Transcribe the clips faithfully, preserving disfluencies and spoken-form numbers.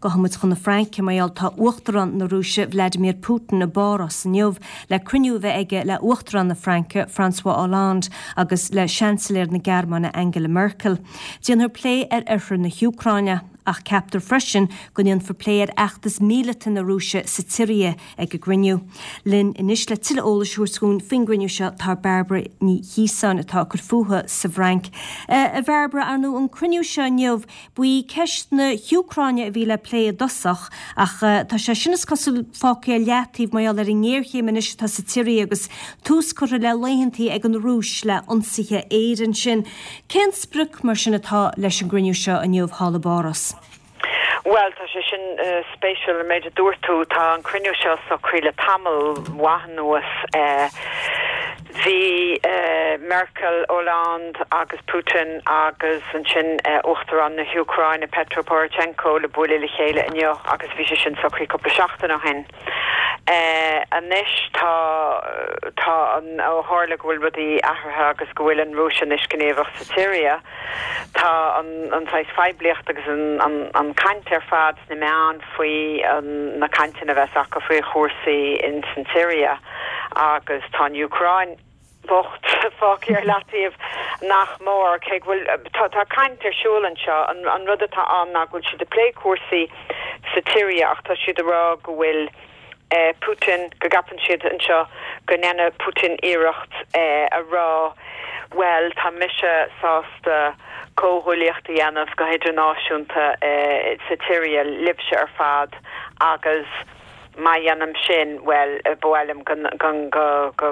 Gabhfaidh muid chun na Fraince mar gheall tá Uachtarán na Rúise Vladimir Putin i bPáras inniu le cruinniú a bheith aige le Uachtarán na Fraince François Hollande agus le Seansailéir na Gearmáine Angela Merkel. Déanfar plé ar oirthear na hÚcráine ach ceaptar freisin go ndéanfar plé ar fheachtas míleata na Rúise sa tSiria ag an gcruinniú. Linn anois le tuilleadh eolais a thabhairt dúinn faoin gcruinniú seo tá Bairbre Ní Chiosáin atá ag cur fúithi sa bhFrainc. A Bhairbre ar ndóigh an cruinniú seo inniu ba í ceist na hÚcráine a bhí le plé i dtosach ach tá sé sin is cosúil fágtha ar leataobh mar gheall ar an ngéarchéim anois atá sa tSiria agus tús curtha le laethantaí ag an Rúis le ionsaithe aeir ansin. Cén sprioc mar sin atá leis an gcruinniú seo inniu thall i bPáras? Well tá sé sin uh, spéisiúil an méid a dúirt tú tá an cruinniú seo socraithe le tamall maith anuas uh, bhí uh, Merkel Hollande agus Putin agus ansin uh, Uachtarán na hÚcráine Petro Poroshenko le bualadh le chéile inniu agus bhí sé sin socraithe cúpla seachtain ó shin. Uh, anois tá tá an ó tharla go bhfuil rudaí athraithe agus go bhfuil an Rúis anois gníomhach sa tSiria. Tá an an phoiblíocht agus an, an, an caint ar fad sna meáin faoi na cainteanna a bheas acu faoi chúrsaí in san tSiria agus tá an Úcráin bocht fágtha ar leataobh nach mór cé bhfuil tá tá caint ar siúl anseo an, an rud atá ann ná go bhfuil siad ag plé cúrsaí sa tSiria ach tá siad ag rá go bhfuil eh, Putin go gceapann siad anseo go ndéanfaidh Putin iarracht eh, a rá well tá mise sásta comhghuaillíocht a dhéanamh go hidirnáisiúnta eh, sa tSiria libhse ar fad agus má dhéanaim sin well b'fhéidir go go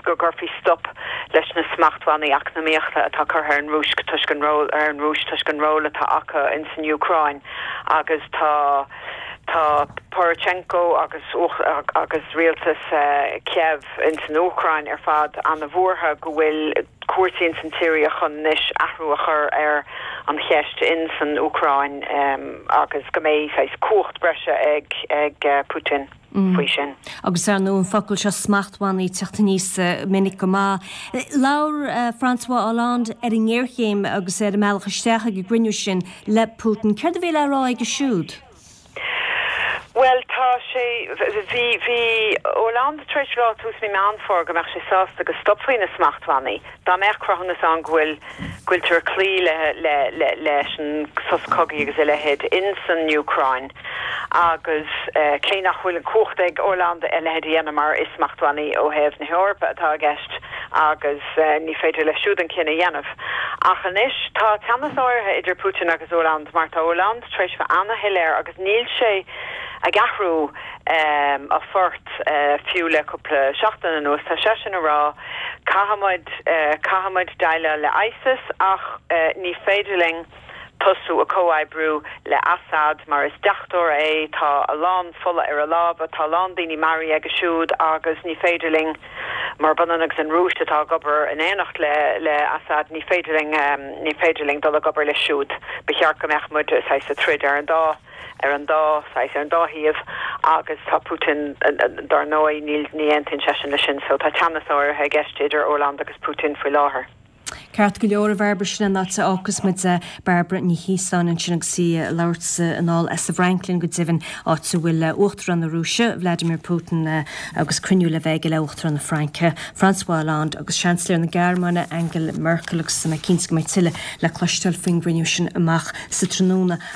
go gcuirfí stop leis na smachtbhannaí eacnamaíochta atá curtha ar an Rúis toisc an ról ar an Rúis toisc an ról atá acu in san Úcráin agus tá tá Poroshenko agus agus rialtas uh, Kiev in san Úcráin ar fad an-bhuartha go bhfuil cúrsaí in san tSiria chun anois athrú a chur ar an cheist in san Úcráin um, agus go mbeidh saghas cumhacht breise ag ag uh, Putin. Mm. faoi sin. Agus ar ndóigh an focal seo smachtbhannaí ag teacht aníos minic go maith. Labhair uh, François Hollande ar an ngéarchéim agus ar an mbealach isteach ag an gcruinniú sin le Putin. Céard a bhí le rá aige siúd? Well tá sé bhí bhí Hollande tar éis rá tús mí Meán Fómhair go mbeadh sé sásta go stopfaí na smachtbhannaí. Dá mbeadh cruthúnas ann go bhfuil go bhfuiltear ag cloí le le le leis an sos cogaidh agus a leithéid in san Úcráin agus uh, cé nach bhfuil an cumhacht ag Hollande a leithéid a dhéanamh mar is smachtbhannaí ó thaobh na hEorpa atá i gceist agus uh, ní féidir leis siúd an cinneadh a dhéanamh. Ach anois tá teannas áirithe idir Putin agus Hollande mar tá Hollande tar éis bheith an-shoiléir agus níl sé ag athrú um, a phort uh, fiú le cúpla seachtain anuas tá sé sin ag rá caithfimid uh, caithfimid déileáil le ISIS ach uh, ní féidir linn tosú ag comhoibriú le Assad mar is deachtóir é tá a lán fola ar a lámha tá a lán daoine maraithe aige siúd agus ní féidir linn mar b'ionann agus an Rúis atá ag obair in éineacht le le Assad ní féidir linn um, ní féidir linn dul ag obair leis siúd ba cheart go mbeadh muid ag troid ar an dá ar an dá ar an dá thaobh agus tá Putin dar ndóigh ní ní aontaíonn sé sin leis sin so tá teannas áirithe i gceist idir Hollande agus Putin faoi láthair. Ceart go leor a Bhairbre sin an áit a fhágfas muid Bairbre Ní Chiosáin ansin agus í ag labhairt anall as an bhFrainc linn go deimhin áit a bhfuil Uachtarán na Rúise Vladimir Putin agus cruinniú le bheith aige le Uachtarán na Fraince François Hollande agus Seansailéir na Gearmáine Angela Merkel agus mé cinnte go mbeidh tuilleadh le cloisteáil faoin gcruinniú sin amach sa tráthnóna.